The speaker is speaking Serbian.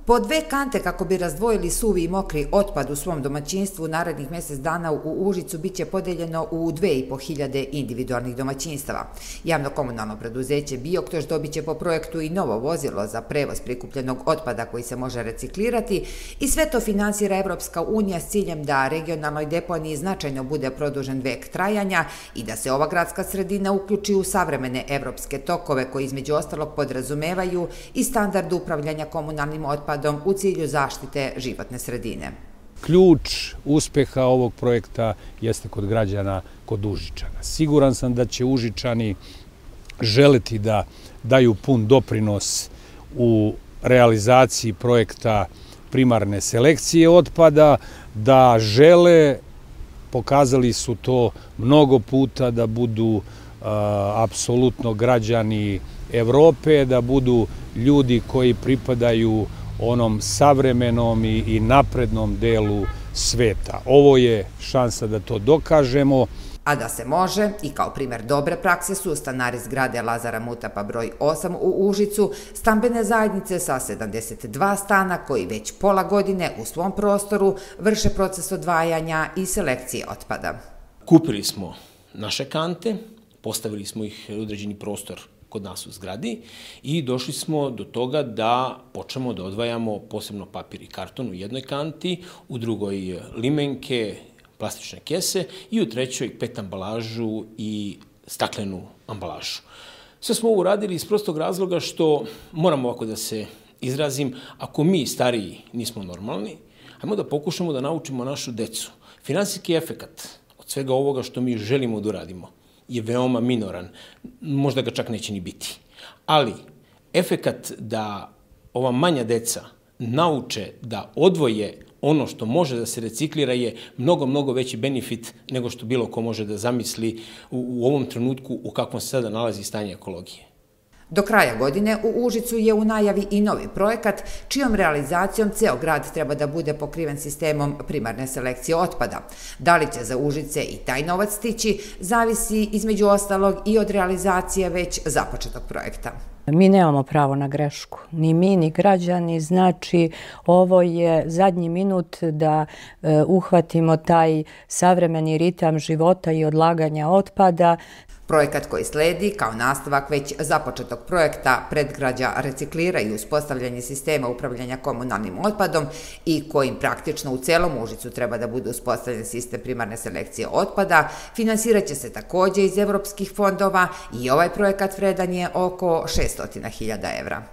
Po 2 kante kako bi razdvojili suvi i mokri otpad u svom domaćinstvu, narednih mjesec dana u Užicu biće podeljeno u 2500 individualnih domaćinstava. Javno-komunalno preduzeće Bioktoš dobit će po projektu i novo vozilo za prevoz prikupljenog otpada koji se može reciklirati i sve to finansira Evropska unija s ciljem da regionalnoj deponiji značajno bude produžen vek trajanja i da se ova gradska sredina uključi u savremene evropske tokove koji između ostalog podrazumevaju i standard upravljanja komunalnim otpadom u cilju zaštite životne sredine. Ključ uspeha ovog projekta jeste kod građana, kod Užičana. Siguran sam da će Užičani želeti da daju pun doprinos u realizaciji projekta primarne selekcije otpada, da žele, pokazali su to mnogo puta, da budu apsolutno građani Evrope, da budu ljudi koji pripadaju onom savremenom i naprednom delu sveta. Ovo je šansa da to dokažemo. A da se može, i kao primjer dobre prakse su stanari zgrade Lazara Mutapa broj 8 u Užicu, stambene zajednice sa 72 stana koji već pola godine u svom prostoru vrše proces odvajanja i selekcije otpada. Kupili smo naše kante, postavili smo ih u određeni prostor kod nas u zgradi i došli smo do toga da počnemo da odvajamo posebno papir i karton u jednoj kanti, u drugoj limenke, plastične kese i u trećoj PET ambalažu i staklenu ambalažu. Sve smo ovo uradili iz prostog razloga što, moram ovako da se izrazim, ako mi stariji nismo normalni, ajmo da pokušamo da naučimo našu decu. Finansijski efekat od svega ovoga što mi želimo da uradimo je veoma minoran, možda ga čak neće ni biti. Ali efekat da ova manja deca nauče da odvoje ono što može da se reciklira je mnogo, mnogo veći benefit nego što bilo ko može da zamisli u ovom trenutku u kakvom se sada nalazi stanje ekologije. Do kraja godine u Užicu je u najavi i novi projekat čijom realizacijom ceo grad treba da bude pokriven sistemom primarne selekcije otpada. Da li će za Užice i taj novac stići, zavisi između ostalog i od realizacije već započetog projekta. Mi nemamo pravo na grešku, ni mi, ni građani, znači ovo je zadnji minut da uhvatimo taj savremeni ritam života i odlaganja otpada. Projekat koji sledi kao nastavak već započetog projekta predgrađa reciklira i uspostavljanje sistema upravljanja komunalnim otpadom i kojim praktično u celom Užicu treba da bude uspostavljen sistem primarne selekcije otpada, finansirat će se također iz evropskih fondova i ovaj projekat vredan je oko 600.000 evra.